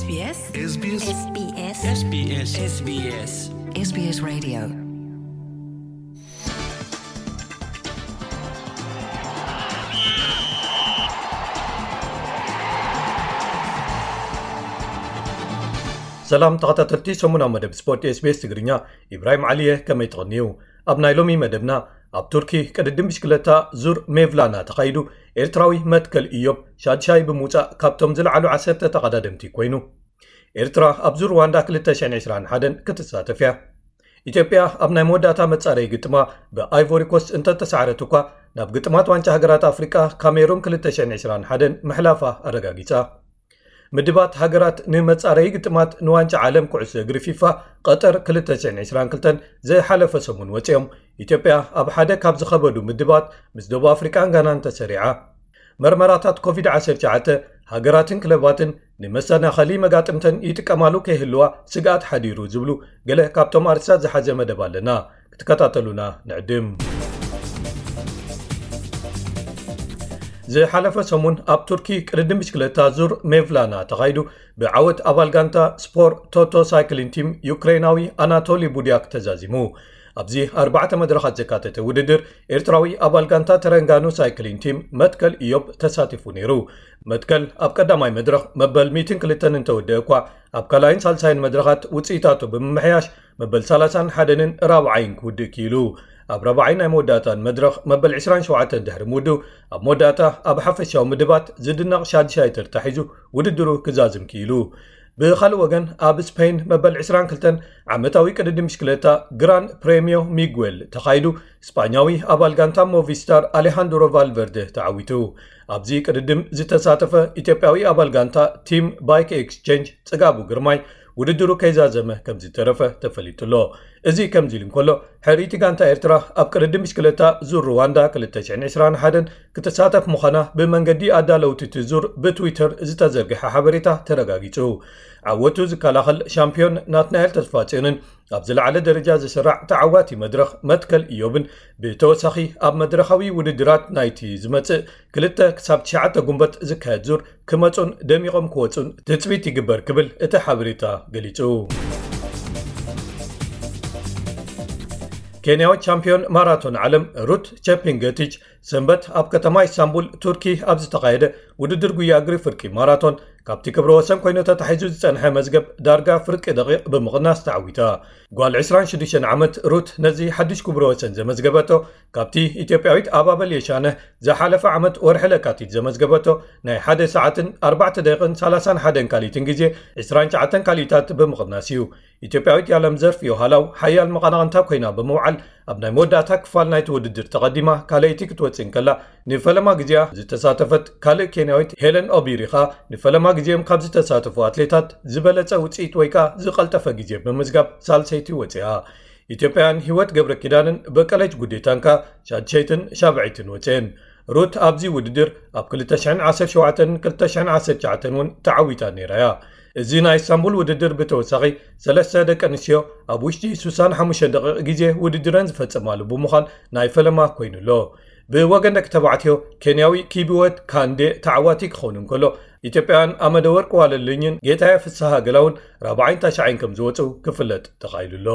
SBS SBS SBS SBS SBS Radio. ሰላም ተኸታተልቲ ሰሙናዊ መደብ ስፖርት SBS ትግርኛ፣ ኢብራሂም ዓሊየ። ከመይ ትቕንዩ? ኣብ ናይ ሎሚ መደብና፣ ኣብ ቱርኪ ቅድድም ብሽክለታ ዙር ሜቭላና ተኻይዱ፣ ኤርትራዊ መትከል ኢዮብ ሻድሻይ ብምውጻእ ካብቶም ዝለዓሉ ዓሰርተ ተቐዳደምቲ ኮይኑ። ኤርትራ ኣብ ዙር ሩዋንዳ ክልተ ሽሕን ዕስራን ሓደን ክትሳተፍ እያ። ኢትዮጵያ ኣብ ናይ መወዳእታ መጻረዪ ግጥማ ብኣይቮሪ ኮስት እንተተሳዕረት እኳ፣ ናብ ግጥማት ዋንጫ ሃገራት ኣፍሪቃ ካሜሩን ክልተ ሽሕን ዕስራን ሓደን ምሕላፋ ኣረጋጊጻ። ምድባት ሃገራት ንመጻረዪ ግጥማት ንዋንጫ ዓለም ኩዕሶ እግሪ ፊፋ ቀጠር ክልተ ሽሕን ዕስራን ክልተን ዝሓለፈ ሰሙን ወጺኦም፣ ኢትዮጵያ ኣብ ሓደ ካብ ዝኸበዱ ምድባት ምስ ደቡብ ኣፍሪቃን ጋናን ተሰሪዓ። መርመራታት ኮቪድ ዓሰርተ ትሽዓተ ሃገራትን ክለባትን ንመሰናኸሊ መጋጥምተን ይጥቀማሉ ከይህልዋ ስግኣት ሓዲሩ ዝብሉ ገለ ካብቶም ኣርእስታት ዝሓዘ መደብ ኣለና። ክትከታተሉና ንዕድም። ዝሓለፈ ሰሙን ኣብ ቱርኪ ቅድድም ብሽክለታ ዙር ሜቭላና ተኻይዱ፣ ብዓወት ኣባል ጋንታ ስፖር ቶቶ ሳይክሊን ቲም ዩክሬናዊ ኣናቶሊ ቡድያክ ተዛዚሙ። ኣብዚ ኣርባዕተ መድረኻት ዘካተተ ውድድር፣ ኤርትራዊ ኣባል ጋንታ ተረንጋኑ ሳይክሊን ቲም መትከል ኢዮብ ተሳቲፉ ነይሩ። መትከል ኣብ ቀዳማይ መድረኽ መበል ሚእትን ክልተን እንተወደአ እኳ፣ ኣብ ካልኣይን ሳልሳይን መድረኻት ውጽኢታቱ ብምምሕያሽ፣ መበል ሰላሳን ሓደን ራብዓይን ክውድእ ክኢሉ። ኣብ ራብዓይ ናይ መወዳእታን መድረኽ መበል ዕስራን ሸውዓተን ድሕሪ ምውድኡ፣ ኣብ መወዳእታ ኣብ ሓፈሻዊ ምድባት ዝድነቕ ሻድሻይ ተርታ ሒዙ ውድድሩ ክዛዝም ክኢሉ። ብኻልእ ወገን፣ ኣብ ስፔን መበል ዕስራን ክልተን ዓመታዊ ቅድድም ብሽክለታ ግራን ፕሬሚዮ ሚጉዌል ተኻይዱ፣ ስጳኛዊ ኣባል ጋንታ ሞቪስታር ኣሌሃንድሮ ቫልቨርደ ተዓዊቱ። ኣብዚ ቅድድም ዝተሳተፈ ኢትዮጵያዊ ኣባል ጋንታ ቲም ባይክ ኤክስቼንጅ ጽጋቡ ግርማይ ውድድሩ ከይዛዘመ ከም ዝተረፈ ተፈሊጡ ኣሎ። እዚ ከምዚ ኢሉ እንከሎ፣ ሕርይቲ ጋንታ ኤርትራ ኣብ ቅድድም ብሽክለታ ዙር ሩዋንዳ ክልተ ሽሕን ዕስራን ሓደን ክትሳተፍ ምዃና ብመንገዲ ኣዳለውቲ እቲ ዙር ብትዊተር ዝተዘርግሐ ሓበሬታ ተረጋጊጹ። ዓወቱ ዝከላኸል ሻምፒዮን ናትናኤል ተስፋጽዮንን ኣብ ዝለዓለ ደረጃ ዝስራዕ ተዓዋቲ መድረኽ መትከል ኢዮብን ብተወሳኺ ኣብ መድረኻዊ ውድድራት ናይቲ ዝመጽእ ክልተ ክሳብ ትሽዓተ ጉንበት ዝካየድ ዙር ክመጹን ደሚቖም ክወጹን ትጽቢት ይግበር ክብል እቲ ሓበሬታ ገሊጹ። ኬንያዊት ቻምፒዮን ማራቶን ዓለም ሩት ቸፒንገቲች ሰንበት ኣብ ከተማ ኢስታንቡል ቱርኪ ኣብ ዝተኻየደ ውድድር ጉያ እግሪ ፍርቂ ማራቶን፣ ካብቲ ክብረ ወሰን ኮይኑ ተታሒዙ ዝጸንሐ መዝገብ ዳርጋ ፍርቂ ደቂቕ ብምቕናስ ተዓዊታ። ጓል ዕስራን ሽዱሽተን ዓመት ሩት ነዚ ሓድሽ ክብረ ወሰን ዘመዝገበቶ፣ ካብቲ ኢትዮጵያዊት ኣባበል የሻነህ ዝሓለፈ ዓመት ወርሒ ለካቲት ዘመዝገበቶ ናይ ሓደ ሰዓትን ኣርባዕተ ደቂቕን ሰላሳን ሓደን ካሊትን ግዜ ዕስራን ትሽዓተን ካሊታት ብምቕናስ እዩ። ኢትዮጵያዊት የኣለም ዘርፍ ዮሃላው ሓያል መቐናቕንታ ኮይና ብምውዓል፣ ኣብ ናይ መወዳእታ ክፋል ናይቲ ውድድር ተቐዲማ ካልኣይቲ ክትወጽእ እንከላ፣ ንፈለማ ግዜኣ ዝተሳተፈት ካልእ ኬንያዊት ሄለን ኦቢሪ ኸኣ ንፈለማ ግዜኦም ካብ ዝተሳተፉ ኣትሌታት ዝበለጸ ውጽኢት ወይ ከኣ ዝቐልጠፈ ግዜ ብምዝጋብ ሳልሰይቲ ወጺኣ። ኢትዮጵያውያን ህይወት ገብረ ኪዳንን በቀለች ጉዴታን ከኣ ሻድሸይትን ሻብዐይትን ወጺኤን። ሩት ኣብዚ ውድድር ኣብ ክልተ ሽሕን ዓሰርተ ሸውዓተን ክልተ ሽሕን ዓሰርተ ትሽዓተን እውን ተዓዊታ ነይራ እያ። እዚ ናይ ኢስታንቡል ውድድር ብተወሳኺ ሰለስተ ደቂ ኣንስትዮ ኣብ ውሽጢ ሱሳን ሓሙሽተ ደቂቕ ግዜ ውድድረን ዝፈጸማሉ ብምዃን ናይ ፈለማ ኮይኑ ኣሎ። ብወገን ደቂ ተባዕትዮ፣ ኬንያዊ ኪቢወት ካንዴ ተዓዋቲ ክኸውን እንከሎ፣ ኢትዮጵያውያን ኣመደ ወርቅ ዋለልኝን ጌታየ ፍስሃ ገላውን ራብዓይን ታሽዓይን ከም ዝወጹ ክፍለጥ ተኻኢሉ ኣሎ።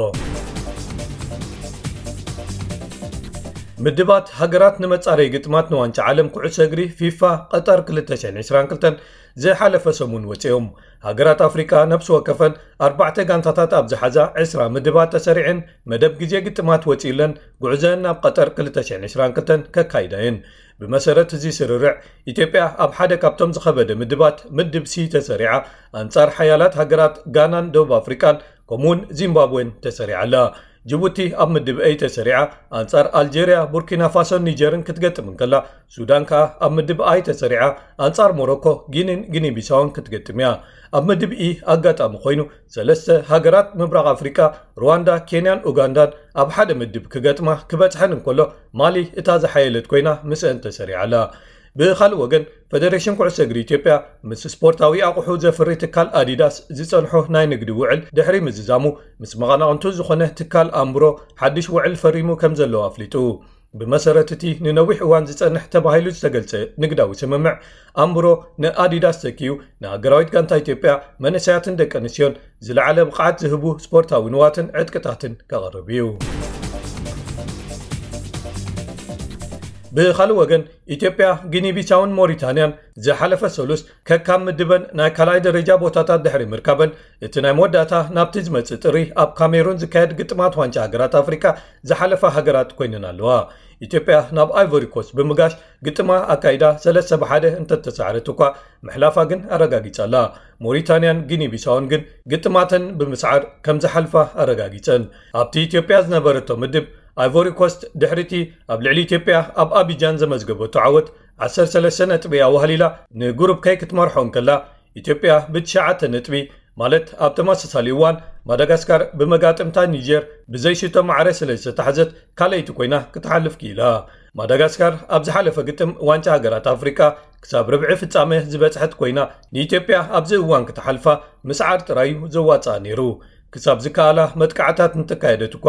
ምድባት ሃገራት ንመጻረዪ ግጥማት ንዋንጫ ዓለም ኩዕሶ እግሪ ፊፋ ቀጠር ክልተ ሽሕን ዕስራን ክልተን ዝሓለፈ ሰሙን ወጺኦም። ሃገራት ኣፍሪቃ ነብሲ ወከፈን ኣርባዕተ ጋንታታት ኣብ ዝሓዛ ዕስራ ምድባት ተሰሪዐን መደብ ግዜ ግጥማት ወጺኡለን ጉዕዘን ናብ ቀጠር ክልተ ሽሕን ዕስራን ክልተን ከካይዳ እየን። ብመሰረት እዚ ስርርዕ፣ ኢትዮጵያ ኣብ ሓደ ካብቶም ዝኸበደ ምድባት ምድብ ሲ ተሰሪዓ ኣንጻር ሓያላት ሃገራት ጋናን ደቡብ ኣፍሪቃን ከምኡውን ዚምባብዌን ተሰሪዓ ኣላ። ጅቡቲ ኣብ ምድብ ኤይ ተሰሪዓ ኣንጻር ኣልጀርያ፣ ቡርኪና ፋሶን ኒጀርን ክትገጥም እንከላ፣ ሱዳን ከኣ ኣብ ምድብ ኣይ ተሰሪዓ ኣንጻር ሞሮኮ፣ ጊኒን ጊኒ ቢሳውን ክትገጥም እያ። ኣብ ምድብ ኢ ኣጋጣሚ ኮይኑ፣ ሰለስተ ሃገራት ምብራቕ ኣፍሪቃ፣ ሩዋንዳ፣ ኬንያን ኡጋንዳን ኣብ ሓደ ምድብ ክገጥማ ክበጽሐን እንከሎ፣ ማሊ እታ ዝሓየለት ኮይና ምስአን ተሰሪዓ ኣላ። ብኻልእ ወገን፣ ፈደሬሽን ኩዕሶ እግሪ ኢትዮጵያ ምስ ስፖርታዊ ኣቑሑ ዘፍሪ ትካል ኣዲዳስ ዝጸንሖ ናይ ንግዲ ውዕል ድሕሪ ምዝዛሙ፣ ምስ መቐናቕንቱ ዝኾነ ትካል ኣምብሮ ሓድሽ ውዕል ፈሪሙ ከም ዘለዎ ኣፍሊጡ። ብመሰረት እቲ ንነዊሕ እዋን ዝጸንሕ ተባሂሉ ዝተገልጸ ንግዳዊ ስምምዕ፣ ኣምብሮ ንኣዲዳስ ተኪኡ ንሃገራዊት ጋንታ ኢትዮጵያ መንእሰያትን ደቂ ኣንስትዮን ዝለዓለ ብቕዓት ዝህቡ ስፖርታዊ ንዋትን ዕጥቅታትን ከቕርብ እዩ። ብኻልእ ወገን፣ ኢትዮጵያ፣ ጊኒ ቢሳውን ሞሪታንያን ዝሓለፈ ሰሉስ ከካብ ምድበን ናይ ካልኣይ ደረጃ ቦታታት ድሕሪ ምርካበን፣ እቲ ናይ መወዳእታ ናብቲ ዝመጽእ ጥሪ ኣብ ካሜሩን ዝካየድ ግጥማት ዋንጫ ሃገራት ኣፍሪካ ዝሓለፋ ሃገራት ኮይነን ኣለዋ። ኢትዮጵያ ናብ ኣይቮሪ ኮስት ብምጋሽ ግጥማ ኣካይዳ ሰለስተ ብ ሓደ እንተተሳዕረት እኳ፣ ምሕላፋ ግን ኣረጋጊጻ ኣላ። ሞሪታንያን ጊኒ ቢሳውን ግን ግጥማተን ብምስዓር ከም ዝሓልፋ ኣረጋጊጸን። ኣብቲ ኢትዮጵያ ዝነበረቶ ምድብ፣ ኣይቮሪ ኮስት ድሕሪቲ ኣብ ልዕሊ ኢትዮጵያ ኣብ ኣቢጃን ዘመዝገበቶ ዓወት ዓሰርተ ሰለስተ ነጥቢ ኣዋህሊላ ንጉሩፕ ከይ ክትመርሖ እንከላ፣ ኢትዮጵያ ብትሽዓተ ነጥቢ፣ ማለት ኣብ ተመሳሳሊ እዋን ማዳጋስካር ብመጋጥምታ ኒጀር ብዘይሽቶ ማዕረ ስለ ዝተታሕዘት ካልኣይቲ ኮይና ክትሓልፍ ክኢላ። ማዳጋስካር ኣብ ዝሓለፈ ግጥም ዋንጫ ሃገራት ኣፍሪካ ክሳብ ርብዒ ፍጻመ ዝበጽሐት ኮይና፣ ንኢትዮጵያ ኣብዚ እዋን ክትሓልፋ ምስዓር ጥራይ እዩ ዘዋጽኣ ነይሩ። ክሳብ ዝከኣላ መጥቃዕታት እንተካየደት እኳ፣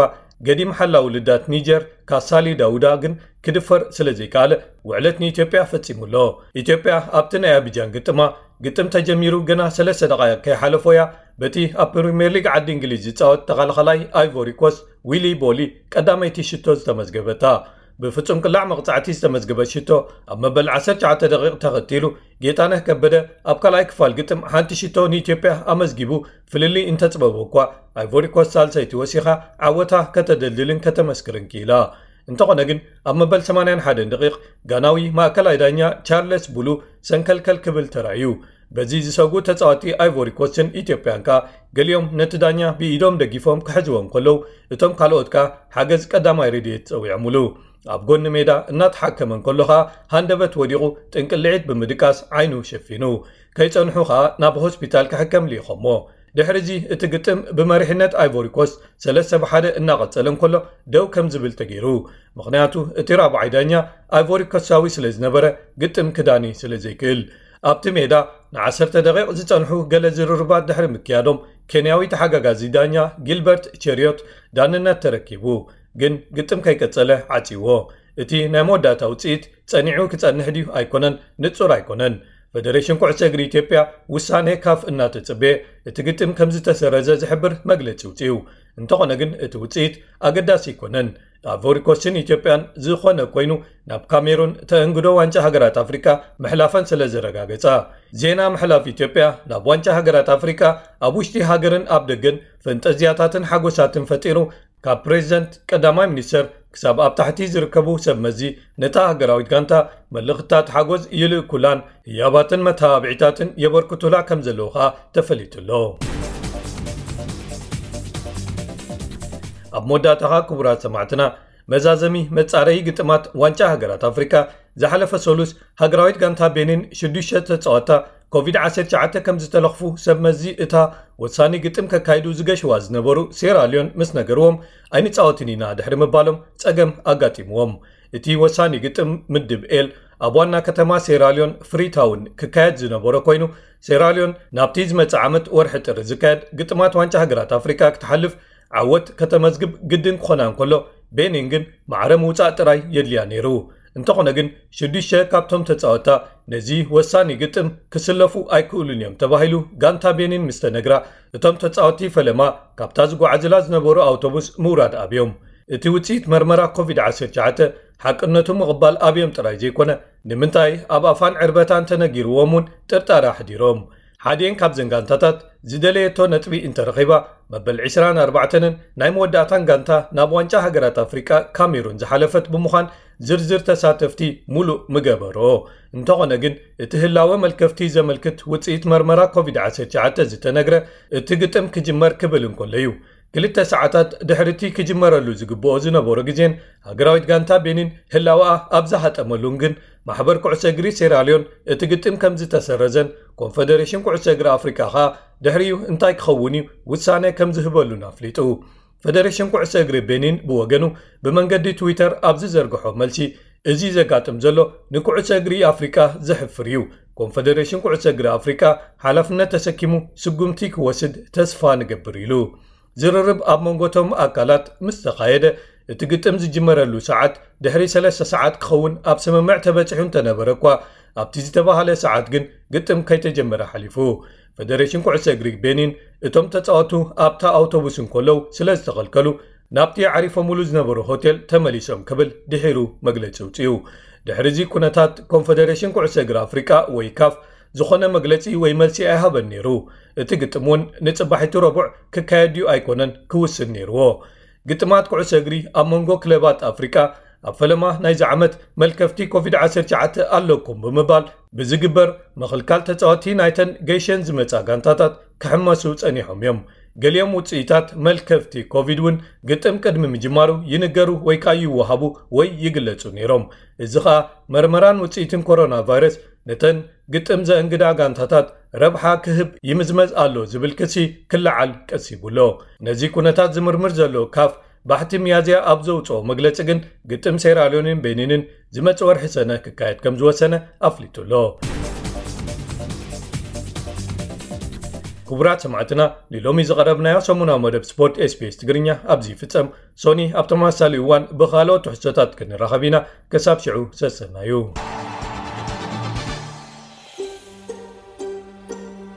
ገዲም ሓላው ልዳት ኒጀር ካሳሊ ዳውዳ ግን ክድፈር ስለ ዘይከኣለ፣ ውዕለት ንኢትዮጵያ ፈጺሙ ኣሎ። ኢትዮጵያ ኣብቲ ናይ ኣቢጃን ግጥማ፣ ግጥም ተጀሚሩ ገና ሰለስተ ደቓይቕ ከይሓለፎ እያ በቲ ኣብ ፕሪምየር ሊግ ዓዲ እንግሊዝ ዝጻወት ተኸላኻላይ ኣይቮሪ ኮስት ዊሊ ቦሊ ቀዳመይቲ ሽቶ ዝተመዝገበታ። ብፍጹም ቅላዕ መቕጻዕቲ ዝተመዝገበት ሽቶ ኣብ መበል ዓሰርተ ትሽዓተ ደቒቕ ተኸቲሉ፣ ጌታነህ ከበደ ኣብ ካልኣይ ክፋል ግጥም ሓንቲ ሽቶ ንኢትዮጵያ ኣመዝጊቡ፣ ፍልልይ እንተጽበቦ እኳ፣ ኣይቮሪ ኮስት ሳልሰይቲ ወሲኻ ዓወታ ከተደልድልን ከተመስክርን ክኢላ። እንተኾነ ግን፣ ኣብ መበል ሰማንያን ሓደን ደቒቕ፣ ጋናዊ ማእከላይ ዳኛ ቻርለስ ቡሉ ሰንከልከል ክብል ተራእዩ። በዚ ዝሰጉ ተጻወቲ ኣይቮሪ ኮስትን ኢትዮጵያን ከኣ፣ ገሊኦም ነቲ ዳኛ ብኢዶም ደጊፎም ክሕዝዎም ከለዉ፣ እቶም ካልኦት ከኣ ሓገዝ ቀዳማይ ረድኤት ጸዊዖምሉ። ኣብ ጎኒ ሜዳ እናተሓከመ እንከሎ ከኣ፣ ሃንደበት ወዲቑ ጥንቅልዒት ብምድቃስ ዓይኑ ሸፊኑ። ከይጸንሑ ከኣ ናብ ሆስፒታል ክሕከም ልኢኾሞ። ድሕሪዚ እቲ ግጥም ብመሪሕነት ኣይቮሪ ኮስት ሰለስተ ብ ሓደ እናቐጸለ እንከሎ ደው ከም ዝብል ተገይሩ። ምኽንያቱ እቲ ራብዓይ ዳኛ ኣይቮሪ ኮስታዊ ስለ ዝነበረ ግጥም ክዳኒ ስለ ዘይክእል። ኣብቲ ሜዳ ንዓሰርተ ደቂቕ ዝጸንሑ ገለ ዝርርባት ድሕሪ ምክያዶም ኬንያዊ ተሓጋጋዚ ዳኛ ጊልበርት ቸሪዮት ዳንነት ተረኪቡ፣ ግን ግጥም ከይቀጸለ ዓጺዎ። እቲ ናይ መወዳእታ ውጽኢት ጸኒዑ ክጸንሕ ድዩ ኣይኮነን ንጹር ኣይኮነን። ፈደሬሽን ኩዕሶ እግሪ ኢትዮጵያ ውሳኔ ካፍ እናተጸበየ እቲ ግጥም ከም ዝተሰረዘ ዝሕብር መግለጺ ውጽኡ። እንተኾነ ግን እቲ ውጽኢት ኣገዳሲ ኣይኮነን። ኣይቮሪ ኮስትን ኢትዮጵያን ዝኾነ ኮይኑ ናብ ካሜሩን ተእንግዶ ዋንጫ ሃገራት ኣፍሪካ ምሕላፈን ስለ ዘረጋገጻ። ዜና ምሕላፍ ኢትዮጵያ ናብ ዋንጫ ሃገራት ኣፍሪካ ኣብ ውሽጢ ሃገርን ኣብ ደገን ፈንጠዝያታትን ሓጎሳትን ፈጢሩ፣ ካብ ፕሬዚደንት፣ ቀዳማይ ሚኒስተር ክሳብ ኣብ ታሕቲ ዝርከቡ ሰብ መዚ ነታ ሃገራዊት ጋንታ መልእኽትታት ሓጎስ ይልእኩላን ህያባትን መተባብዒታትን የበርክቱላ ከም ዘለዉ ከኣ ተፈሊጡ ኣሎ። ኣብ መወዳእታ ከኣ ክቡራት ሰማዕትና፣ መዛዘሚ መጻረዪ ግጥማት ዋንጫ ሃገራት ኣፍሪካ ዝሓለፈ ሰሉስ ሃገራዊት ጋንታ ቤኒን ሽዱሽተ ተጻወታ ኮቪድ ዓሰርተ ትሽዓተ ከም ዝተለኽፉ ሰብ መዚ እታ ወሳኒ ግጥም ከካይዱ ዝገሽዋ ዝነበሩ ሴራልዮን ምስ ነገርዎም፣ ኣይንጻወትን ኢና ድሕሪ ምባሎም ጸገም ኣጋጢምዎም። እቲ ወሳኒ ግጥም ምድብ ኤል ኣብ ዋና ከተማ ሴራልዮን ፍሪታውን ክካየድ ዝነበሮ ኮይኑ፣ ሴራልዮን ናብቲ ዝመጽእ ዓመት ወርሒ ጥሪ ዝካየድ ግጥማት ዋንጫ ሃገራት ኣፍሪካ ክትሓልፍ ዓወት ከተመዝግብ ግድን ክኾና እንከሎ፣ ቤኒን ግን ማዕረ ምውጻእ ጥራይ የድልያ ነይሩ። እንተኾነ ግን፣ ሽዱሽተ ካብቶም ተጻወታ ነዚ ወሳኒ ግጥም ክስለፉ ኣይክእሉን እዮም ተባሂሉ ጋንታ ቤኒን ምስ ተነግራ፣ እቶም ተጻወቲ ፈለማ ካብታ ዝጓዓዝላ ዝነበሩ ኣውቶቡስ ምውራድ ኣብዮም። እቲ ውጽኢት መርመራ ኮቪድ ዓሰርተ ትሽዓተ ሓቅነቱ ምቕባል ኣብዮም ጥራይ ዘይኮነ፣ ንምንታይ ኣብ ኣፋን ዕርበታን ተነጊርዎም እውን ጥርጣረ ኣሕዲሮም። ሓዲኤን ካብዘን ጋንታታት ዝደለየቶ ነጥቢ እንተረኺባ፣ መበል ዕስራን ኣርባዕተንን ናይ መወዳእታን ጋንታ ናብ ዋንጫ ሃገራት ኣፍሪቃ ካሜሩን ዝሓለፈት ብምዃን ዝርዝር ተሳተፍቲ ሙሉእ ምገበሮ። እንተኾነ ግን፣ እቲ ህላወ መልከፍቲ ዘመልክት ውጽኢት መርመራ ኮቪድ ዓሰርተ ትሽዓተ ዝተነግረ፣ እቲ ግጥም ክጅመር ክብል እንከሎ እዩ። ክልተ ሰዓታት ድሕሪ እቲ ክጅመረሉ ዝግብኦ ዝነበሮ ግዜን ሃገራዊት ጋንታ ቤኒን ህላወኣ ኣብ ዝሃጠመሉን ግን፣ ማሕበር ኩዕሶ እግሪ ሴራልዮን እቲ ግጥም ከም ዝተሰረዘን ኮንፈደሬሽን ኩዕሶ እግሪ ኣፍሪቃ ኸኣ ድሕሪኡ እንታይ ክኸውን እዩ ውሳነ ከም ዝህበሉን ኣፍሊጡ። ፈደሬሽን ኩዕሶ እግሪ ቤኒን ብወገኑ ብመንገዲ ትዊተር ኣብ ዝዘርግሖ መልሲ፣ እዚ ዘጋጥም ዘሎ ንኩዕሶ እግሪ ኣፍሪቃ ዘሕፍር እዩ። ኮንፈደሬሽን ኩዕሶ እግሪ ኣፍሪቃ ሓላፍነት ተሰኪሙ ስጉምቲ ክወስድ ተስፋ ንገብር ኢሉ። ዝርርብ ኣብ መንጎ እቶም ኣካላት ምስ ተኻየደ፣ እቲ ግጥም ዝጅመረሉ ሰዓት ድሕሪ ሰለስተ ሰዓት ክኸውን ኣብ ስምምዕ ተበጺሑ እንተነበረ እኳ፣ ኣብቲ ዝተባህለ ሰዓት ግን ግጥም ከይተጀመረ ሓሊፉ። ፈደሬሽን ኩዕሶ እግሪ ቤኒን፣ እቶም ተጻወቱ ኣብታ ኣውቶቡስ እንከለዉ ስለ ዝተኸልከሉ፣ ናብቲ ዓሪፎምሉ ዝነበሩ ሆቴል ተመሊሶም ክብል ድሒሩ መግለጺ ኣውጺኡ። ድሕሪ እዚ ኩነታት፣ ኮንፈደሬሽን ኩዕሶ እግሪ ኣፍሪቃ ወይ ካፍ ዝኾነ መግለጺ ወይ መልሲ ኣይሃበን ነይሩ። እቲ ግጥም እውን ንጽባሒቱ ረቡዕ ክካየድ ድዩ ኣይኮነን ክውስን ነይርዎ። ግጥማት ኩዕሶ እግሪ ኣብ መንጎ ክለባት ኣፍሪቃ ኣብ ፈለማ ናይዚ ዓመት መልከፍቲ ኮቪድ ዓሰርተ ትሽዓተ ኣለኩም ብምባል ብዝግበር ምኽልካል ተጻወቲ ናይተን ገይሸን ዝመጻ ጋንታታት ክሕመሱ ጸኒሖም እዮም። ገሊኦም ውጽኢታት መልከፍቲ ኮቪድ እውን ግጥም ቅድሚ ምጅማሩ ይንገሩ ወይ ከኣ ይወሃቡ ወይ ይግለጹ ነይሮም። እዚ ኸኣ መርመራን ውጽኢትን ኮሮና ቫይረስ ነተን ግጥም ዘእንግዳ ጋንታታት ረብሓ ክህብ ይምዝመዝ ኣሎ ዝብል ክሲ ክለዓል ቀሲቡ ኣሎ። ነዚ ኩነታት ዝምርምር ዘሎ ካፍ ባሕቲ ሚያዝያ ኣብ ዘውፅኦ መግለፂ ግን ግጥም ሴራሊዮንን ቤኒንን ዝመፅእ ወርሒ ሰነ ክካየድ ከም ዝወሰነ ኣፍሊጡ ኣሎ። ክቡራት ሰማዕትና፣ ንሎሚ ዝቐረብናዮ ሰሙናዊ መደብ ስፖርት ኤስቢኤስ ትግርኛ ኣብዚ ይፍጸም። ሶኒ ኣብ ተመሳሳሊ እዋን ብኻልኦት ትሕዝቶታት ክንራኸብ ኢና። ክሳብ ሽዑ ሰሰናዩ።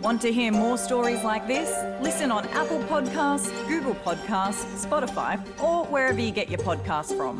Want to hear more stories like this? Listen on Apple Podcasts, Google Podcasts, Spotify, or wherever you get your podcasts from.